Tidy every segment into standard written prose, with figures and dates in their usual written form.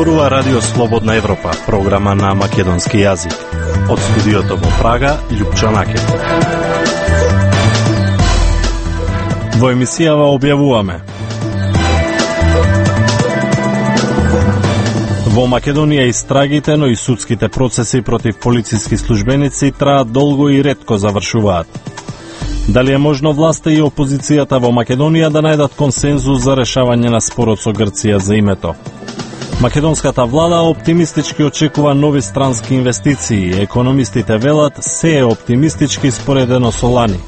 Зборува Радио Слободна Европа, програма на македонски јазик. Од студиото во Прага, Љупчо Накет. Во емисијава објавуваме: во Македонија истрагите, но и судските процеси против полициски службеници траат долго и ретко завршуваат. Дали е можно власта и опозицијата во Македонија да најдат консензус за решавање на спорот со Грција за името? Македонската влада оптимистички очекува нови странски инвестиции. Економистите велат се е оптимистички споредено со лани.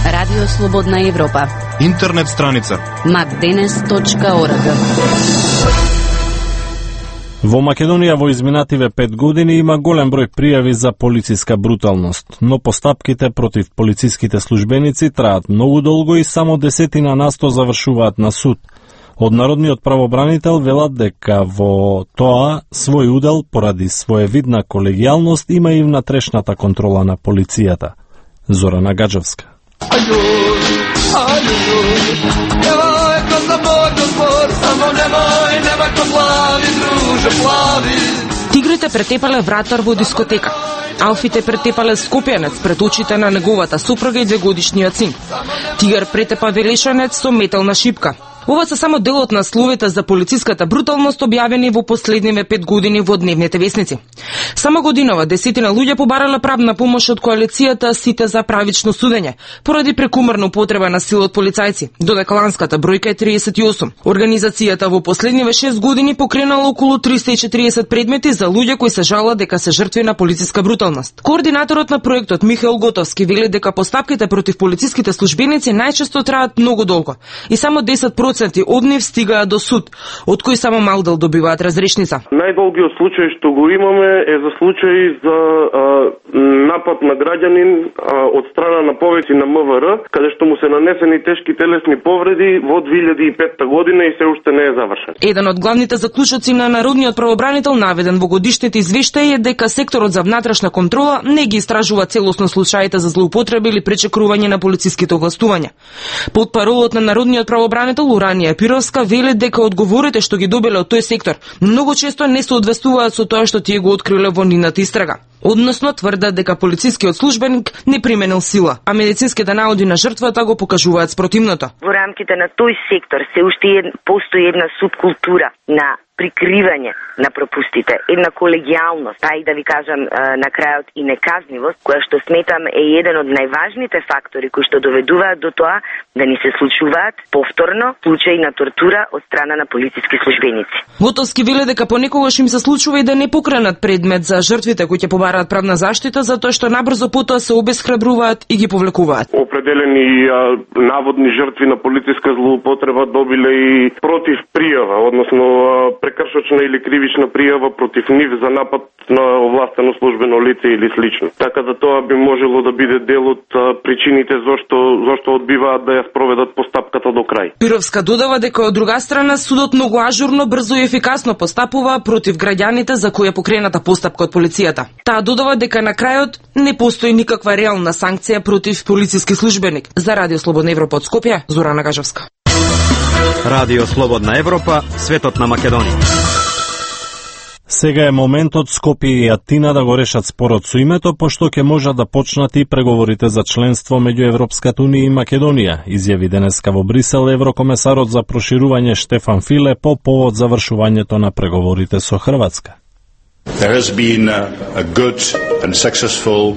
Радио Слободна Европа. Интернет страница macdenes.org. Во Македонија во изминативе 5 години има голем број пријави за полициска бруталност, но постапките против полициските службеници траат многу долго и само 10% завршуваат на суд. Од Народниот правобранител велат дека во тоа свој удел поради своевидна колегијалност има и внатрешната контрола на полицијата. Зорана Гаджевска. Тигрите претепале вратар во дискотека. Алфите претепале скопјанец пред очите на неговата супруга и 2-годишниот син. Тигар претепа велешанец со метална шипка. Ова се само дел од насловите за полициската бруталност објавени во последниве 5 години во дневните весници. Само годинава десетина луѓе побарале правна помош од коалицијата Сите за правично судење, поради прекумерна употреба на сила од полицајци, додека ланската бројка е 38. Организацијата во последниве 6 години покренала околу 340 предмети за луѓе кои се жалат дека се жртви на полициска бруталност. Координаторот на проектот Михаил Готовски вели дека постапките против полициските службеници најчесто траат многу долго и само 10% од нив стигаат до суд, од кои само мал дел добиваат разрешница. Најдолгиот случај што го имаме е за случај за напад на граѓанин од страна на повеќе на МВР, каде што му се нанесени тешки телесни повреди во 2005 година и се уште не е завршен. Еден од главните заклучоци на Народниот правобранител наведен во годишните извештаи е дека секторот за внатрешна контрола не ги истражува целосно случаите за злоупотреби или пречекрување на полициските овластувања. Под паролот на Народниот правобранител Уранија Пировска вели дека одговорите што ги добиле од тој сектор многу често не се одвестуваат со тоа што тие го откриле во нивната истрага. Односно тврдат дека полицискиот службеник не применил сила, а медицинските наоди на жртвата го покажуваат спротивното. Во рамките на тој сектор се уште постои една субкултура на прикривање на пропустите, една колегијалност, а и да ви кажам на крајот и неказнивост, која што сметам е еден од најважните фактори кои што доведуваат до тоа да ни се случуваат повторно случаи на тортура од страна на полициски службеници. Готовски вели дека понекогаш им се случува и да не покренат предмет за жртвите кои ќе побараат правна заштита затоа што набрзо потоа се обесхрабруваат и ги повлекуваат. Определени наводни жртви на полициска злоупотреба добиле и против пријава, односно прекршочна или кривична пријава против нив за напад на овластено службено лице или слично. Така да тоа би можело да биде дел од причините зошто одбиваат да ја спроведат постапката до крај. Пировска додава дека од друга страна судот многу ажурно, брзо и ефикасно постапува против граѓаните за кои е покрената постапка од полицијата. Таа додава дека на крајот не постои никаква реална санкција против полициски службеник. За Радио Слободна Европа од Скопје, Зорана Гажевска. Радио Слободна Европа, светот на Македонија. Сега е моментот Скопје и Атина да го решат спорот со името, пошто ќе можат да почнат и преговорите за членство меѓу Европската унија и Македонија, изјави денеска во Брисел еврокомесарот за проширување Штефан Филе по повод завршувањето на преговорите со Хрватска. There has been a good and successful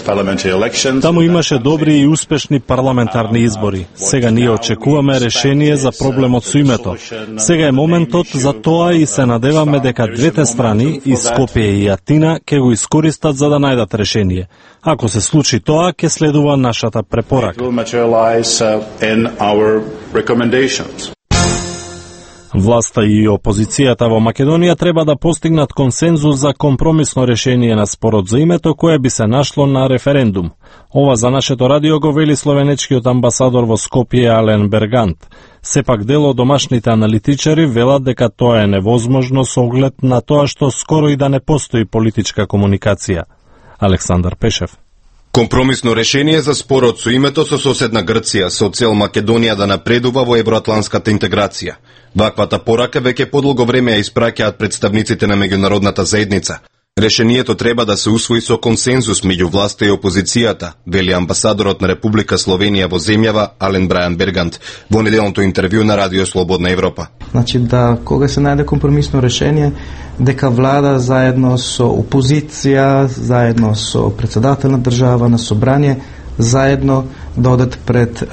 parliamentary elections. Таму имаше добри и успешни парламентарни избори. Сега ние очекуваме решение за проблемот со името. Сега е моментот за тоа и се надеваме дека двете страни, и Скопје и Атина, ќе го искористат за да најдат решение. Ако се случи тоа, ќе следува нашата препорака. Власта и опозицијата во Македонија треба да постигнат консензус за компромисно решение на спорот за името кое би се нашло на референдум. Ова за нашето радио го вели словенечкиот амбасадор во Скопје Ален Бергант. Сепак дел од домашните аналитичари велат дека тоа е невозможно со оглед на тоа што скоро и да не постои политичка комуникација. Александар Пешев. Компромисно решение за спорот со името со соседна Грција со цел Македонија да напредува во евроатланската интеграција. Ваквата порака веќе подолго време ја испраќаат представниците на меѓународната заедница. Решението треба да се усвои со консензус меѓу власта и опозицијата, вели амбасадорот на Република Словенија во земјава Ален Брајан Бергант во неделното интервју на Радио Слободна Европа. Значи да кога се најде компромисно решение, дека влада заедно со опозиција, заедно со председател на држава, на собрание, заедно да одат пред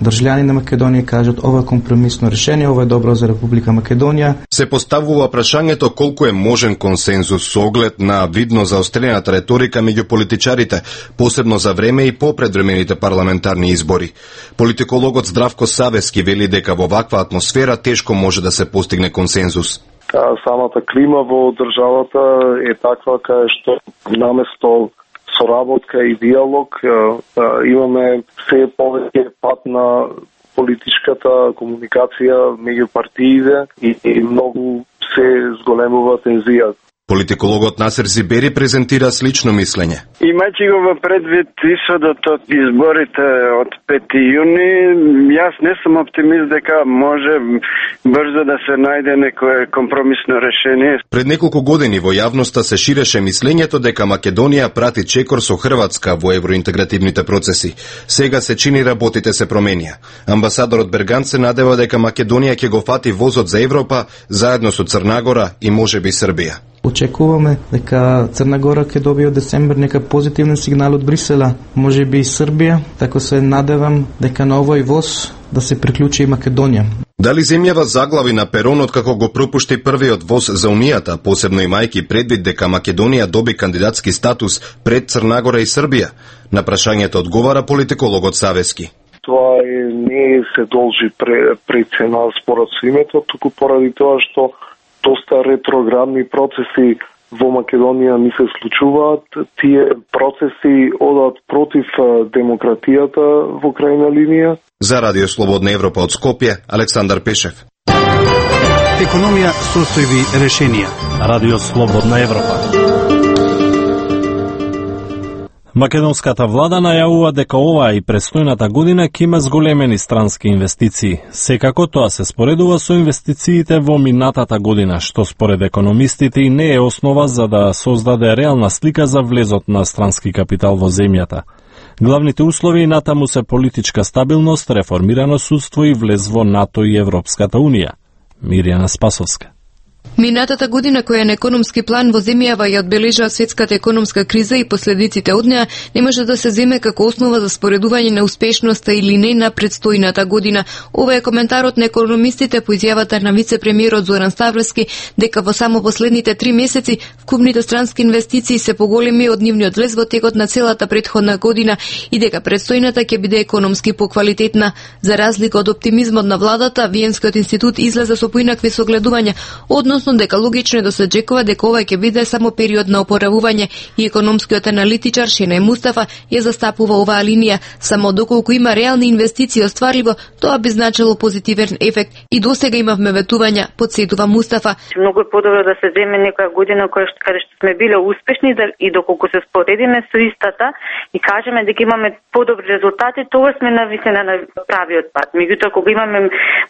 државјани на Македонија и кажат ова е компромисно решение, ова е добро за Република Македонија. Се поставува прашањето колку е можен консензус со оглед на видно заострената реторика меѓу политичарите, посебно за време и по предвремените парламентарни избори. Политикологот Здравко Савески вели дека во ваква атмосфера тешко може да се постигне консензус. Самата клима во државата е таква кај што наместо соработка и диалог имаме се повеќе пат на политичката комуникација меѓу партиите и многу се зголемува тензијата. Политикологот Насер Зибери презентира слично мислење. Имајќи го во предвид исходот од изборите од 5 јуни, јас не сум оптимист дека може брзо да се најде некое компромисно решение. Пред неколку години во јавноста се ширеше мислењето дека Македонија прати чекор со Хрватска во евроинтегративните процеси. Сега се чини работите се променија. Амбасадорот Бергант се надева дека Македонија ќе го фати возот за Европа заедно со Црна и можеби Србија. Очекуваме дека Црна Гора ќе добие од децембер нека позитивен сигнал од Брисела, можеби и Србија, така се надевам дека на овој воз да се приклучи и Македонија. Дали земјава заглави на перонот како го пропушти првиот воз за Унијата, посебно имајќи предвид дека Македонија доби кандидатски статус пред Црна Гора и Србија? На прашањето одговара политикологот Савески. Тоа не се должи прецена според со името, туку поради тоа што доста ретроградни процеси во Македонија ни се случуваат. Тие процеси одат против демократијата во крајна линија. За Радио Слободна Европа од Скопје, Александар Пешев. Економија, состојби, решенија. Радио Слободна Европа. Македонската влада најавува дека оваа и престојната година ќе има зголемени странски инвестиции. Секако тоа се споредува со инвестициите во минатата година, што според економистите и не е основа за да создаде реална слика за влезот на странски капитал во земјата. Главните услови натаму се политичка стабилност, реформирано судство и влез во НАТО и Европската Унија. Мирјана Спасовска. Минатата година, која на економски план во земјава ја одбележа светската економска криза и последиците од неа, не може да се земе како основа за споредување на успешноста или не на предстојната година. Ова е коментарот на економистите по изјавата на вице-премиерот Зоран Ставровски дека во само последните 3 месеци вкупните странски инвестиции се поголеми од нивниот влез во текот на целата претходна година и дека предстојната ќе биде економски поквалитетна. За разлика од оптимизмот на владата, Виенскиот институт излезе со поинакви согледувања, односно дека логично е да се очекува дека ова ќе биде само период на опоравување и економскиот аналитичар Шенај Мустафа ја застапува оваа линија. Само доколку има реални инвестиции остварливо, тоа би значило позитивен ефект и досега имавме ветувања, подсетува Мустафа. Многу е подобро да се земе некоја година каде што сме биле успешни и доколку се споредиме со истата и кажеме дека имаме подобри резултати, тоа сме нависени на правиот пат. Меѓутоа кога имаме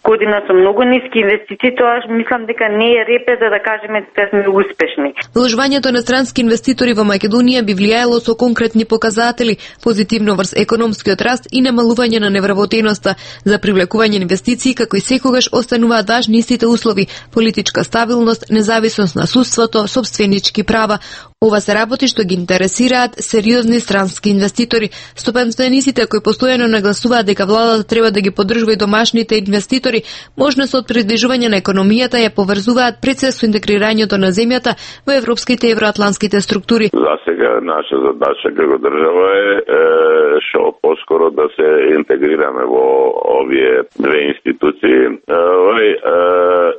година со многу ниски инвестиции, тоа мислам дека не е репе за да кажеме дека сме успешни. Вложувањето на странски инвеститори во Македонија би влијаело со конкретни показатели, позитивно врз економскиот раст и намалување на невработеноста. За привлекување инвестиции, како и секогаш, остануваат важни истите услови: политичка стабилност, независност на судството, собственички права. Ова се работи што ги интересираат сериозни странски инвеститори. Стопанствениците кои постојано нагласуваат дека владата треба да ги поддржува и домашните инвеститори, можност од приближување на економијата ја поврзуваат пред се со интегрирањето на земјата во европските и евроатлантските структури. За сега наша задача како држава е што поскоро да се интегрираме во овие две институции.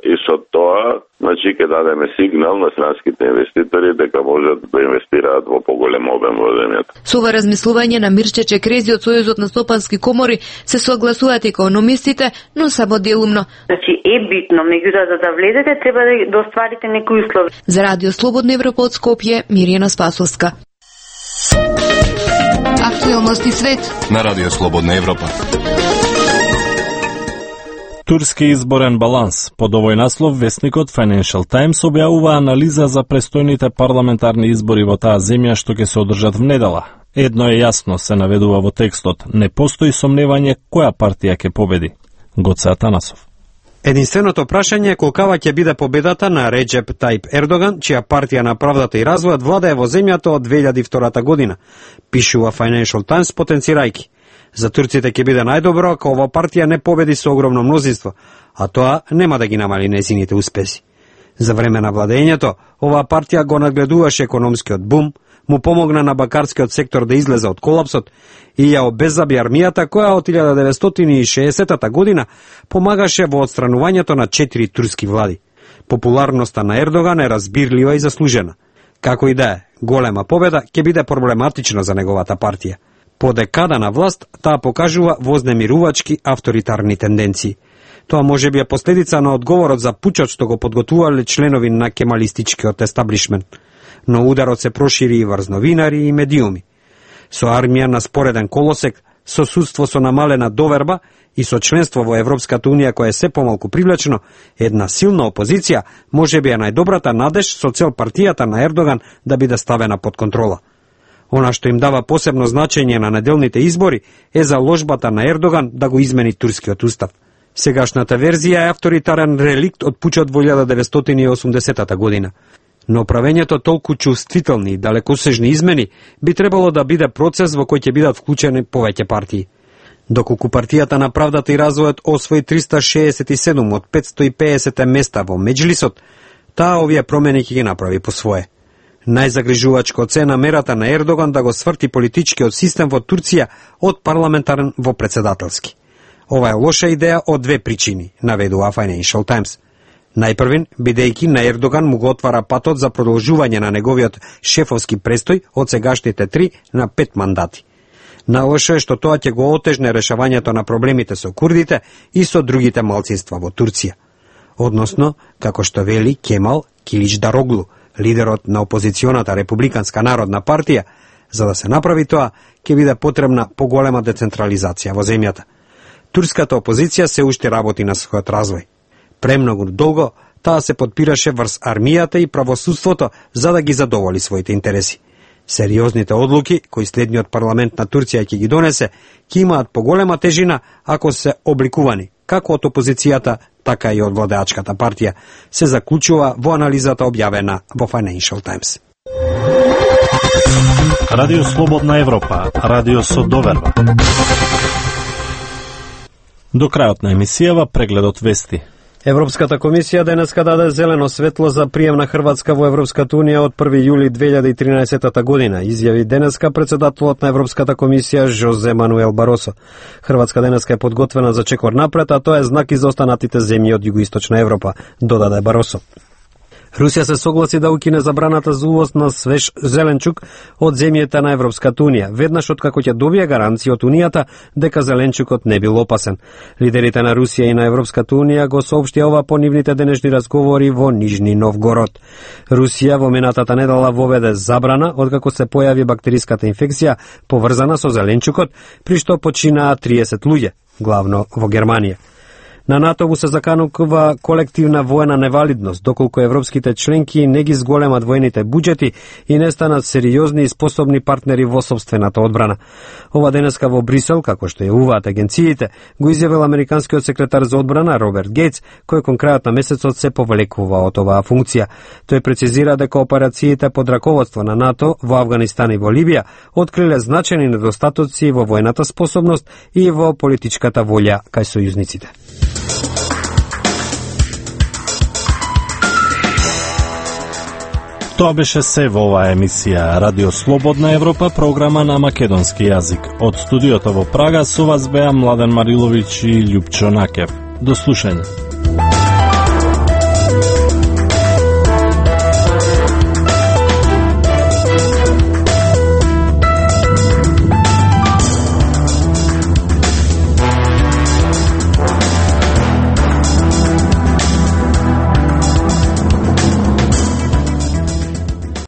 И со тоа значи ќе дадеме сигнал на странските инвеститори дека можат да инвестираат во поголем обем во земјата. Со ова размислување на Мирче Чекрези од Сојузот на стопански комори се согласуваат економистите, но само делумно. Значи е битно, меѓутоа за да влезете треба да остварите некои услови. За Радио Слободна Европа од Скопје, Мирјана Спасовска. Актуелности свет на Радио Слободна Европа. Турски изборен баланс. Под овој наслов весникот Financial Times објавува анализа за престојните парламентарни избори во таа земја што ќе се одржат внедела. Едно е јасно, се наведува во текстот, не постои сомневање која партија ќе победи. Гоце Атанасов. Единственото прашање е колкава ќе биде победата на Реджеп Тајп Ердоган, чија партија на правдата и развојот владее во земјата од 2002 година, пишува Financial Times потенцирајки. За турците ќе биде најдобро ако ова партија не победи со огромно мнозинство, а тоа нема да ги намали нејзините успеси. За време на владењето, оваа партија го надгледуваше економскиот бум, му помогна на бакарскиот сектор да излезе од колапсот и ја обеззаби армијата која од 1960 година помагаше во отстранувањето на 4 турски влади. Популарноста на Ердоган е разбирлива и заслужена. Како и да е, голема победа ќе биде проблематична за неговата партија. По декада на власт, таа покажува вознемирувачки авторитарни тенденции. Тоа може би е последица на одговорот за пучот што го подготувале членови на кемалистичкиот естаблишмент. Но ударот се прошири и врз новинари и медиуми. Со армија на спореден колосек, со судство со намалена доверба и со членство во Европската унија која е се помалку привлечено, една силна опозиција може би е најдобрата надеж со цел партијата на Ердоган да биде ставена под контрола. Она што им дава посебно значење на неделните избори е заложбата на Ердоган да го измени турскиот устав. Сегашната верзија е авторитарен реликт од пучот во 1980 година. Но правењето толку чувствителни и далекосежни измени би требало да биде процес во кој ќе бидат вклучени повеќе партии. Доколку партијата на правдата и развојот освои 367 од 550 места во Меджлисот, таа овие промени ќе ги направи по свое. Најзагрижувачко е намерата на Ердоган да го сврти политичкиот систем во Турција од парламентарен во председателски. Ова е лоша идеја од две причини, наведува Financial Times. Најпрвин, бидејќи на Ердоган му го отвара патот за продолжување на неговиот шефовски престој од сегашните 3 на 5 мандати. Најлошо е што тоа ќе го отежне решавањето на проблемите со курдите и со другите малцинства во Турција. Односно, како што вели Кемал Киличдароглу, лидерот на опозиционата Републиканска народна партија, за да се направи тоа, ќе биде потребна поголема децентрализација во земјата. Турската опозиција се уште работи на својот развој. Премногу долго таа се подпираше врз армијата и правосудството за да ги задоволи своите интереси. Сериозните одлуки кои следниот парламент на Турција ќе ги донесе, ќе имаат поголема тежина ако се обликувани како од опозицијата, така и од владеачката партија, се заклучува во анализата објавена во Financial Times. Радио Слободна Европа, радио со доверба. До крајот на емисијава прегледот вести. Европската комисија денеска даде зелено светло за прием на Хрватска во Европската унија од 1 јули 2013 година, изјави денеска председателот на Европската комисија Жозе Мануел Баросо. Хрватска денеска е подготвена за чекор напред, а тоа е знак и за останатите земји од југоисточна Европа, додаде Баросо. Русија се согласи да укине забраната за увоз на свеж зеленчук од земјите на Европската унија, веднаш откако ќе добие гаранција од унијата дека зеленчукот не бил опасен. Лидерите на Русија и на Европската унија го соопштија ова по нивните денешни разговори во Нижни Новгород. Русија во минатата недела воведе забрана откако се појави бактериската инфекција поврзана со зеленчукот, при што починаа 30 луѓе, главно во Германија. На НАТО се заканува колективна воена невалидност, доколку европските членки не ги зголемат воените буџети и не станат сериозни и способни партнери во сопствената одбрана. Ова денеска во Брисел, како што јавуваат агенциите, го изјавил американскиот секретар за одбрана Роберт Гейтс, кој кон крајот на месецот се повлекува од оваа функција. Тој прецизира дека операциите под раководство на НАТО во Авганистан и во Либија откриле значајни недостатоци во воената способност и во политичката волја кај сојузниците. Тоа беше се во оваа емисија Радио Слободна Европа, програма на македонски јазик. Од студиото во Прага со вас беа Младен Мариловиќ и Љупчо Накев. До слушање.